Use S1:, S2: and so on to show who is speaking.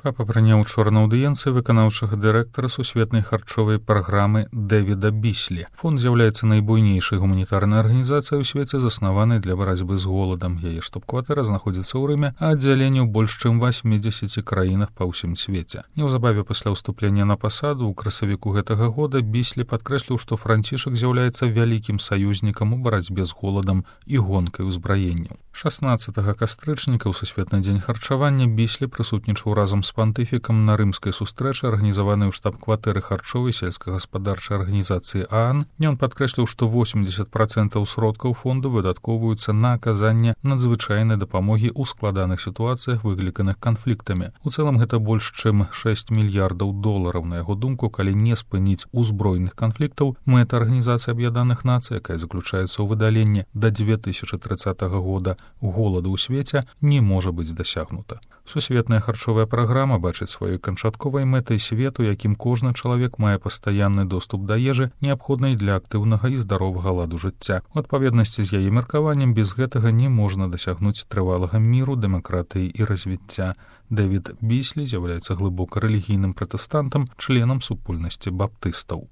S1: Папа прыняў учора на аўдыенцыі выканаўчага дырэктара сусветнай харчовай праграмы Дэвіда Біслі. Фонд з'яўляецца найбуйнейшай гуманітарнай арганізацыяй у свеце, заснаванай для барацьбы з голадам. Яе штаб-кватэра знаходзіцца ў Рыме, а аддзяленні ў больш чым 80 краінах па ўсім свеце. Неўзабаве пасля ўступлення на пасаду ў красавіку гэтага года Біслі падкрэсліў, што Францішак з'яўляецца вялікім саюзнікам у барацьбе з голадам і гонкай узбраенняў. 16 кастрычніка ў Сусветны дзень харчавання Біслі прысутнічаў разам з пантыфікам на рымскай сустрэчы, арганізаванай у штаб-кватэры харчовай сельскагаспадарчай арганізацыі ААН. Ён падкрэсліў, што 80% сродкаў фонду выдаткоўваюцца на аказанне надзвычайнай дапамогі ў складаных сітуацыях, выкліканых канфліктамі. У цэлым гэта больш чым $6 мільярдаў. На яго думку, калі не спыніць узброеных канфліктаў, мэта Арганізацыі Аб'яднаных Нацый, якая заключаецца ў выдаленні да 2030 года голаду ў свеце, не можа быць дасягнута. Сусветная харчовая праграма бачыць сваёй канчатковай мэтай свету, якім кожны чалавек мае пастаянны доступ да ежы, неабходнай для актыўнага і здаровага ладу жыцця. У адпаведнасці з яе меркаваннем, без гэтага не можна дасягнуць трывалага міру, дэмакратыі і развіцця. Дэвід Біслі з'яўляецца глыбока рэлігійным пратэстантам, членам супольнасці баптыстаў.